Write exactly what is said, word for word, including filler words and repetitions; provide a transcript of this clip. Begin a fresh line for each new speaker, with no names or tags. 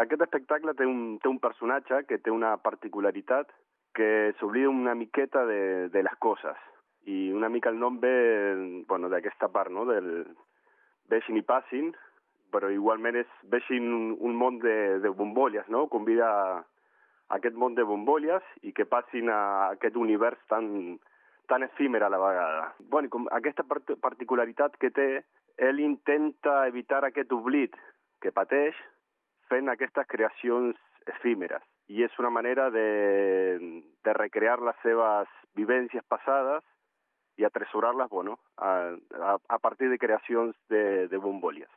Aquest espectacle té un, té un personatge que té una particularitat que s'oblida una miqueta de, de les coses. I una mica el nom ve bueno, d'aquesta part, no? Del veixin i passin, però igualment és veixin un, un món de, de bombolles, no? Convida a aquest món de bombolles i que passin a aquest univers tan, tan efímer a la vegada. Bueno, i com aquesta part particularitat que té, ell intenta evitar aquest oblit que pateix fent aquestes creacions efímeres. I és una manera de, de recrear les seves vivències passades i atresorar-les, bueno, a, a, a partir de creacions de, de bombolles.